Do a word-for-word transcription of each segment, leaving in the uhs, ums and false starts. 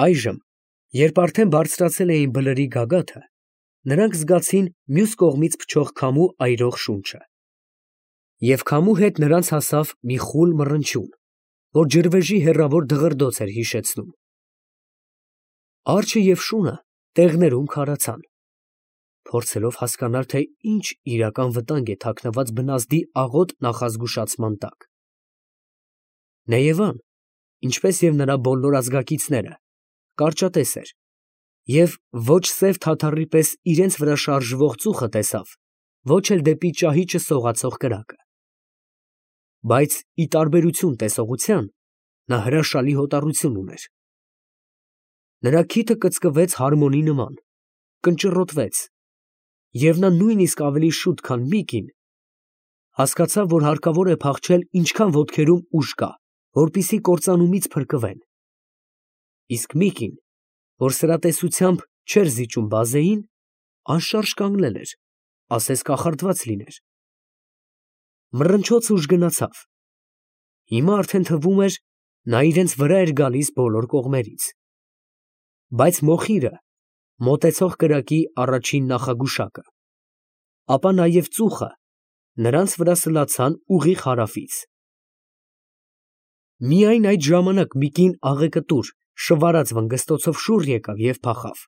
Այժմ, երբ արդեն բարձրացել էին բլրի գագաթը, նրանք զգացին մյուս կողմից փչող քամու այրող շունչը. և քամու հետ նրանց հասավ մի խուլ մռնչյուն, որ ջրվեժի հեռավոր դղրդոց էր հիշեցնում. արջը և շունը տեղներում քարացան, փորձելով հասկանալ, թե ինչ իրական վտանգ է թաքնված բնազդի աղոտ նախազգուշացման տակ։ Նեյևան, ինչպես և նրա բոլոր ազգակիցները, կարճատես էր և ոչ սև թաթարի պես իրենց վրա շարժվող ծուխը տեսավ, ոչ էլ դեպի ճահիճը սողացող կրակը։ Բայց, ի տարբերություն տեսողության, նա հրաշալի հոտառություն ուներ։ Նրա քիթը կծկվեց հարմոնի նման, կնճռոտվեց, և նա նույնիսկ ավելի շուտ, քան Միկին, հասկացավ, որ հարկավոր է փախչել ինչքան ոտքերում ուժ կա, որպեսզի կործանումից փրկվեն։ Իսկ Միկին, որ սրատեսությամբ չէր զիջում բազեին, անշարժ կանգնել էր, ասես կախարդված լիներ։ Մռնչոցը ուժգնացավ. հիմա արդեն թվում էր, նա իրենց վրա էր գալիս բոլոր կողմերից։ Բայց մոխիրը, մոտեցող կրակի առաջին նախագուշակը, ապա նաև ծուխը նրանց վրա սլացան ուղիղ հարավից։ Միայն այդ ժամանակ Միկին աղեկտուր, շվարած վնգստոցով շուռ եկավ և փախավ։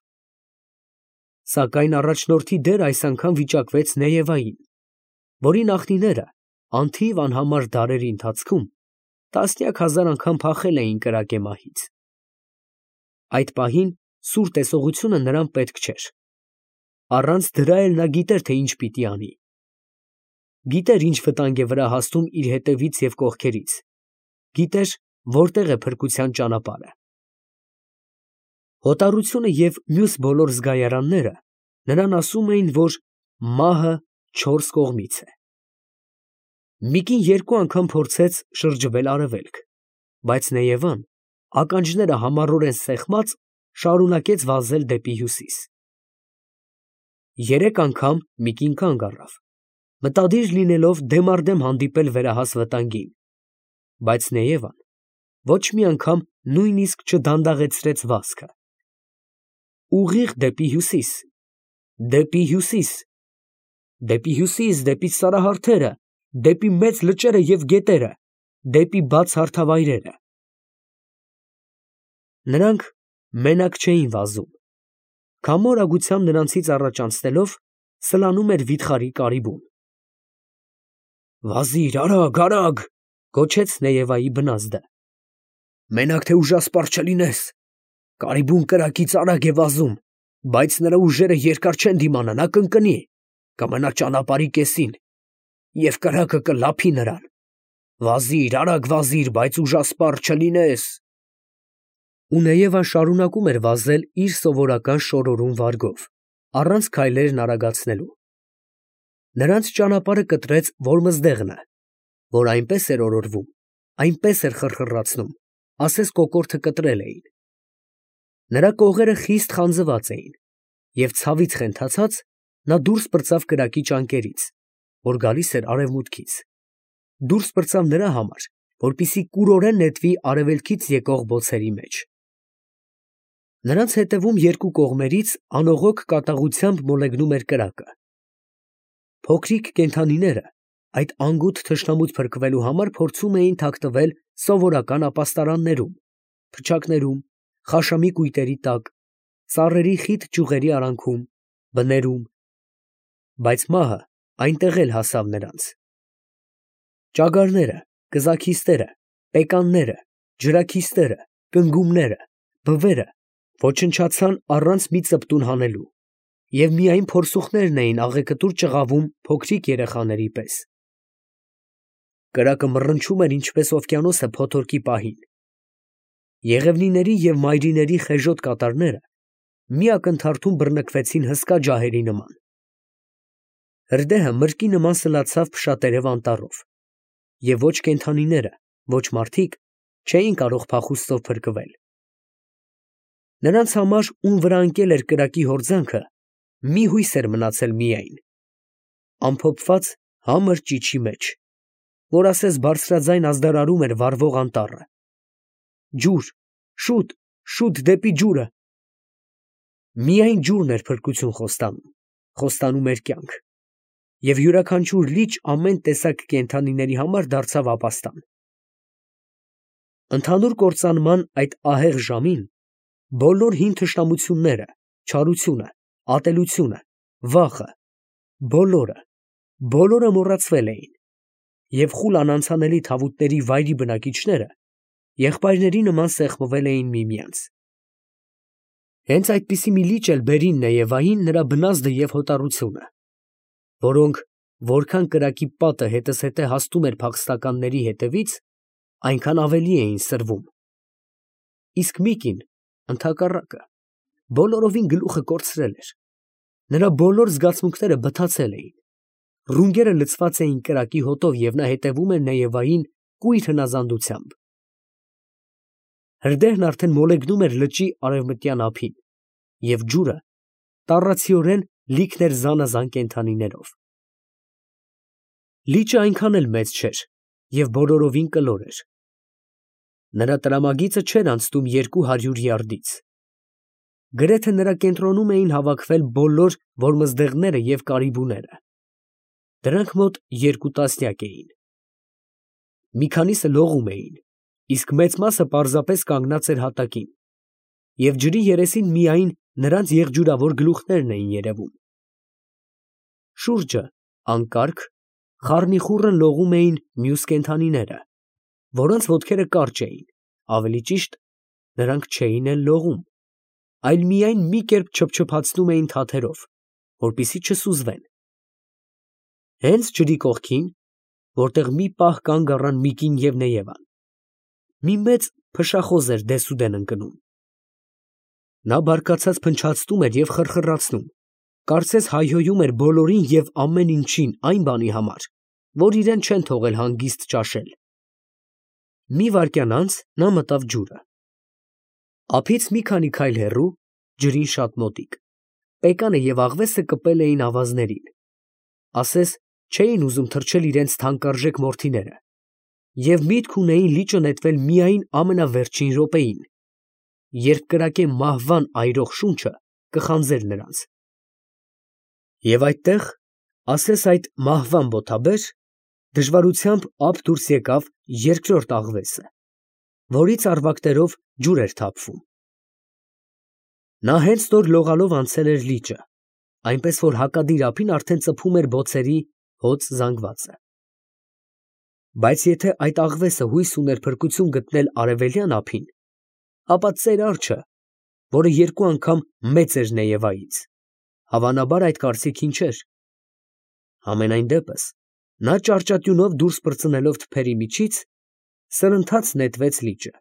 Սակայն առաջնորդի դերը այս անգամ վիճակվեց Նեյևային, որի նախնիները անթիվ անհամար դարերի ընթացքում տասնյակ հազար անգամ փախել էին կրակեմահից։ Այդ պահին սուր տեսողությունը նրան պետք չէր։ Առանց դրա էլ նա գիտեր, թե ինչ պիտի անի։ Գիտեր ինչ վտանգ է վրա հասնում իր հետևից և կողքերից, գիտեր որտեղ է փրկության ճանապարհը։ Հոտառությունը և մյուս բոլոր զգայարանները նրան ասում էին, որ մահը չորս կողմից է։ Միկին երկու անգամ փորձեց շրջվել արևելք, բայց Նեյևան, ականջները համառորեն սեղմած, շարունակեց վազել դեպի հյուսիս։ Երեք անգամ Միկին կանգ առավ, մտադիր լինելով դեմառդեմ հանդիպել վերահաս վտանգին, բայց Նեյևան ոչ մի անգամ նույնիսկ չդանդաղեցրեց վազքը։ Ուղիղ դեպի հյուսիս, դեպի հյուսիս, դեպի հյուսիս, դեպի սարահարթերը, դեպի մեծ լճերը և գետերը, դեպի բաց հարթավայրերը։ Նրանք մենակ չէին վազում. քամու արագությամբ նրանցից առաջ անցնելով, սլանում էր վիթխարի կարիբուն։ «Վազի՛ր, արագ, արագ», գոչեց Նեյևայի բնազդը։ «Մենակ թե ուժասպառ չլինես։ Կարիբուն կրակից արագ է վազում, բայց նրա ուժերը երկար չեն դիմանա, նա կընկնի, կմնա ճանապարհի կեսին, և կրակը կլափի նրան։ Վազի՛ր, արագ վազի՛ր, բայց ուժասպառ չլինես»։ Ու Նեյևան շարունակում էր վազել իր սովորական շորորուն վարգով, առանց քայլերն արագացնելու։ Նրանց ճանապարհը կտրեց Որմզդեղնը, որ այնպես էր օրորվում, այնպես էր խռխռացնում, ասես կոկորդը կտրել էին։ Նրա կողերը խիստ խանձված էին, և ցավից խենթացած, նա դուրս պրծավ կրակի ճանկերից, որ գալիս էր արևմուտքից, դուրս պրծավ նրա համար, որպեսզի կուրորեն նետվի արևելքից եկող բոցերի մեջ։ Նրանց հետևում երկու կողմերից անողոք կատաղությամբ մոլեգնում էր կրակը։ Փոքրիկ կենդանիները այդ անգութ թշնամուց փրկվելու համար փորձում էին թաքնվել սովորական ապաստարաններում, փչակներում, խաշամի կույտերի տակ, ծառերի խիտ ճյուղերի արանքում, բներում, բայց մահը այնտեղ էլ հասավ նրանց։ Ճագարները, կզաքիստերը, պեկանները, ջրաքիստերը, կնգուղները, բվերը ոչնչացան առանց մի ծպտուն հանելու, և միայն փորսուխներն էին աղեկտուր ճղավում փոքրիկ երեխաների պես։ Կրակը մռնչում էր ինչպես օվկիանոսը փոթորկի պահին։ Եղևնիների և մայրիների խեժոտ կատարները մի ակնթարթում բռնկվեցին հսկա ջահերի նման։ Հրդեհը մրկի նման սլացավ փշատերև անտառով, և ոչ կենդանիները, ոչ մարդիկ չէին կարող փախուստով փրկվել։ Նրանց համար, ում վրա ընկել էր կրակի հորձանքը, մի հույս էր մնացել միայն՝ ամփոփված համր ճիչի մեջ, որ ասես բարձրաձայն ազդարարում էր վառվող անտառը։ Ջուր, շուտ, շուտ դեպի ջուրը։ Միայն ջուրն էր փրկություն խոստանում, խոստանում էր կյանք, և յուրաքանչյուր լիճ ամեն տեսակ կենդանիների համար դարձավ ապաստան։ Ընդհանուր կործանման այդ ահեղ ժամին բոլոր հին թշնամությունները, չարությունը, ատելությունը, վախը, բոլորը, բոլորը մոռացվել էին, և խուլ անանցանելի թավուտների վայրի բնակիչները եղբայրների նման սեղմվել էին միմյանց։ Հենց այդպիսի մի լիճ էլ բերին Նեևային նրա բնազդը և հոտառությունը, որոնք որքան կրակի պատը հետզհետե հասնում էր փախստականների հետևից, այնքան ավելի էին սրվում։ Իսկ Միկին, ընդհակառակը, բոլորովին գլուխը կորցրել էր, նրա բոլոր զգացմունքները բթացել էին, ռունգերը լցված էին կրակի հոտով, և նա հետևում էր Նեևային կույր հնազանդությամբ։ Հրդեհն արդեն մոլեգնում էր լճի արևմտյան ափին, և ջուրը տառացիորեն լիքն էր զանազան կենդանիներով։ Լիճը այնքան էլ մեծ չէր և բոլորովին կլոր էր։ Նրա տրամագիծը չէր անցնում երկու հարյուր յարդից։ Գրեթե նրա կենտրոնում էին հավաքվել բոլոր որմզդեղները և կարիբուները։ Դրանք մոտ երկու տասնյակ էին։ Մի քանիսը լողում էին, իսկ մեծ մասը պարզապես կանգնած էր հատակին, և ջրի երեսին միայն նրանց եղջյուրավոր գլուխներն էին երևում։ Շուրջը, անկարգ, խառնիխուռն լողում էին մյուս կենդանիները, որոնց ոտքերը կարճ էին, ավելի ճիշտ, նրանք չէին էլ լողում, այլ միայն մի կերպ չփչփացնում էին թաթերով, որպեսզի չսուզվեն։ Հենց ջրի կողքին, որտեղ մի պահ կանգ առան Միկին և Նեևան, մի մեծ փշախոզ էր դեսուդեն ընկնում։ Նա բարկացած փնչացնում էր և խռխռացնում, կարծես հայհոյում էր բոլորին և ամեն ինչին այն բանի համար, որ իրան չեն թողել հանգիստ ճաշել։ Մի վայրկյան անց նա մտավ ջուրը։ Ափից մի քանի քայլ հեռու, ջրին շատ մոտիկ, պեկանը և աղվեսը կպել էին ավազներին, ասես չէին ուզում թրջել իրենց թանկարժեք մորթիները, և միտք ունեին լիճը նետվել միայն ամենավերջին րոպեին, երբ կրակե մահվան այրող շունչը կխանձեր նրանց։ Եվ այդտեղ, ասես այդ մահվան բոթաբեր, դժվարությամբ ափ դուրս եկավ երկրորդ աղվեսը, որից առվակներով ջուր էր թափվում։ Նա հենց նոր լողալով անցել էր լիճը, այնպես որ հակադիր ափին արդեն ծփում էր բոցերի հոծ զանգվածը։ Բայց եթե այդ աղվեսը հույս ուներ փրկություն գտնել արևելյան ափին, ապա ծեր արջը, որը երկու անգամ մեծ էր Նեևայից, հավանաբար այդ կարծիքին չէր։ Համենայն դեպս, նա ճարճատյունով դուրս պրծնելով թփերի միջից, սրընթաց նետվեց լիճը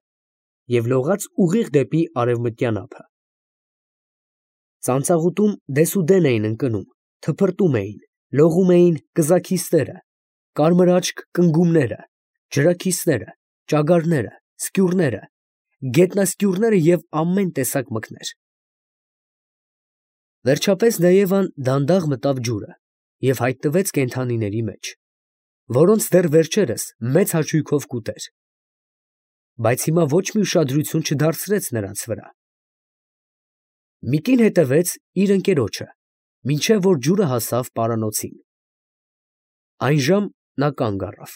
և լողաց ուղիղ դեպի արևմտյան ափը։ Ծանծաղուտում դեսուդեն էին ընկնում, թփրտում էին, լողում էին կզաքիսները, կարմրաճք կնգուղները, ջրաքիսները, ճագարները, սկյուռները, գետնասկյուռները և ամեն տեսակ մկներ։ Վերջապես Նեևան դանդաղ մտավ ջուրը և հայտնվեց կենդանիների մեջ, որոնց դեռ վերջերս մեծ հաճույքով կուտեր, բայց հիմա ոչ մի ուշադրություն չդարձրեց նրանց վրա։ Միկին հետևեց իր ընկերոջը, մինչև որ ջուրը հասավ պարանոցին։ Այն ժամ նա կանգ առավ։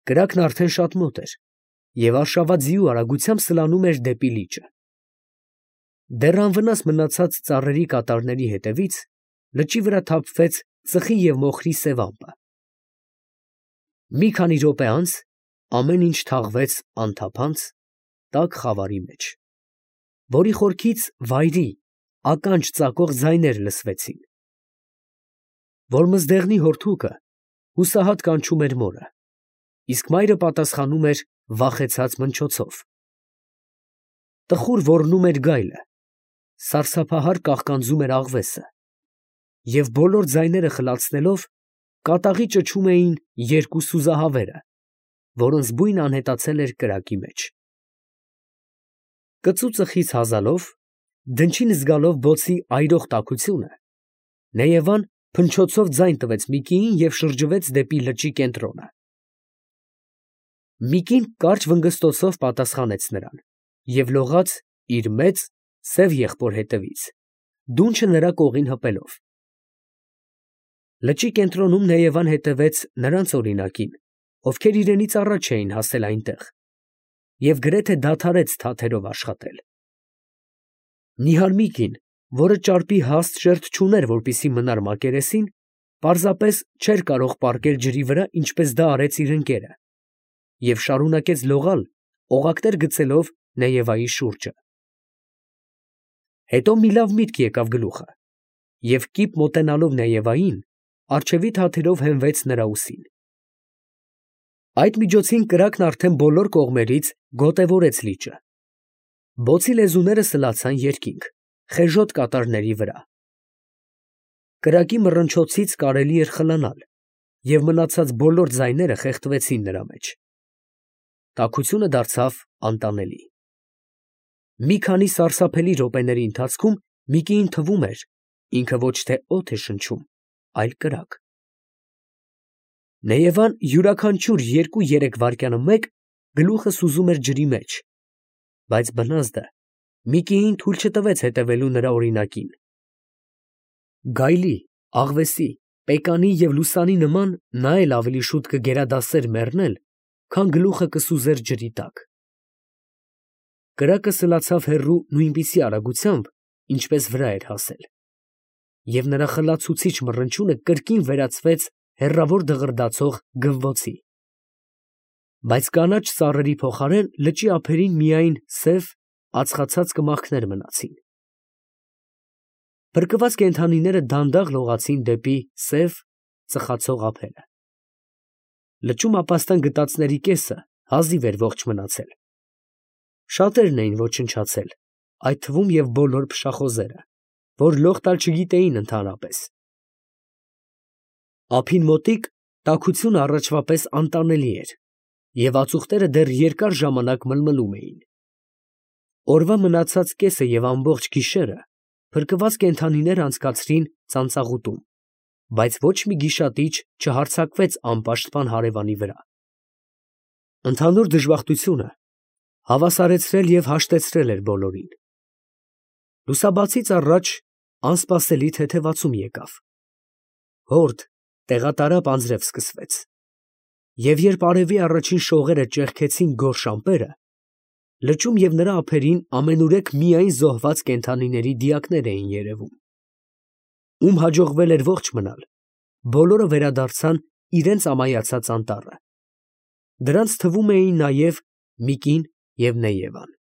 Կրակն արդեն շատ մոտ էր և արշավաձիու արագությամբ սլանում էր դեպի լիճը։ Դեռ անվնաս մնացած ծառերի կատարների հետևից լճի վրա թափվեց ծխի և մոխրի սև ամպը։ Մի քանի րոպե անց ամեն ինչ թաղվեց անթափանց, տաք խավարի մեջ, որի խորքից վայրի, ականջ ծակող ձայներ լսվեցին։ Որմզդեղնի հորթուկը հուսահատ կանչում էր մորը, իսկ մայրը պատասխանում էր վախեցած մնչոցով։ Տխուր ոռնում էր գայլը, սարսափահար կաղկանձում էր աղվեսը, և բոլոր ձայները խլացնելով, կատաղի ճչում էին երկու սուզահավերը, որոնց բույնը անհետացել էր կրակի մեջ։ Կծու ծխից հազալով, դնչին զգալով բոցի այրող տաքությունը, Նեևան փնչոցով ձայն տվեց Միկիին և շրջվեց դեպի լճի կենտրոնը։ Միկին կարճ վնգստոցով պատասխանեց նրան և լողաց իր մեծ, սև եղբոր հետևից, դունչը նրա կողին հպելով։ Լճի կենտրոնում Նեևան հետևեց նրանց օրինակին, ովքեր իրենից առաջ էին հասել այնտեղ, և գրեթե դադարեց թաթերով աշխատել։ Նիհար մի կին, որը ճարպի հաստ շերտ չուներ, որպեսզի մնար մակերեսին, պարզապես չէր կարող պառկել ջրի վրա, ինչպես դա արեց իր ընկերը, և շարունակեց լողալ, օղակներ գցելով Նեևայի շուրջը։ Հետո մի լավ միտք եկավ գլուխը, և կիպ մոտենալով Նեևային, առջևի թաթերով հենվեց նրա ուսին։ Այդ միջոցին կրակն արդեն բոլոր կողմերից գոտևորեց լիճը։ Բոցի լեզուները սլացան երկինք, խեժոտ կատարների վրա։ Կրակի մռնչոցից կարելի էր խլանալ, և մնացած բոլոր ձայները խեղդվեցին նրա մեջ։ Տաքությունը դարձավ անտանելի։ Մի քանի սարսափելի րոպեների ընթացքում Միկիին թվում էր, ինքը ոչ թե օդ է շնչում, այլ կրակ։ Նեևան յուրաքանչյուր երկու֊երեք վայրկյանը մեկ գլուխը սուզում էր ջրի մեջ, բայց բնազդը Միկիին թույլ չտվեց հետևելու նրա օրինակին։ Գայլի, աղվեսի, պեկանի և լուսանի նման նա էլ ավելի շուտ կգերադասեր մեռնել, քան գլուխը կսուզեր ջրի տակ։ Կրակը սլացավ հեռու նույնպիսի արագությամբ, ինչպես վրա էր հասել, և նրա խլացուցիչ մռնչյունը կրկին վերածվեց հեռավոր դղրդացող գվվոցի։ Բայց կանաչ ծառերի փոխարեն լճի ափերին միայն սև, ածխացած կմախքներ մնացին։ Փրկված կենդանիները դանդաղ լողացին դեպի սև, ծխացող ափերը։ Լճում ապաստան գտածների կեսը հազիվ էր ողջ մնացել։ Շատերն էին ոչնչացել, այդ թվում և բոլոր փշախոզերը, որ լող տալ չգիտեին ընդհանրապես։ Ափին մոտիկ տաքությունը առաջվա պես անտանելի էր, և ածուխները դեռ երկար ժամանակ մլմլում էին։ Օրվա մնացած կեսը և ամբողջ գիշերը փրկված կենդանիներն անցկացրին ծանծաղուտում, բայց ոչ մի գիշատիչ չհարձակվեց անպաշտպան հարևանի վրա։ Ընդհանուր դժբախտությունը հավասարեցրել և հաշտեցրել էր բոլորին։ Լուսաբացից առաջ անսպասելի թեթևացում եկավ։ Հորդ, տեղատարափ անձրև սկսվեց, և երբ արևի առաջին շողերը ճեղքեցին գորշ ամպերը, լճում և նրա ափերին ամենուրեք միայն զոհված կենդանիների դիակներ էին երևում։ Ում հաջողվել էր ողջ մնալ, բոլորը վերադարձան իրենց ամայացած անտառը։ Դրանց թվում էին նաև Միկին և Նեևան։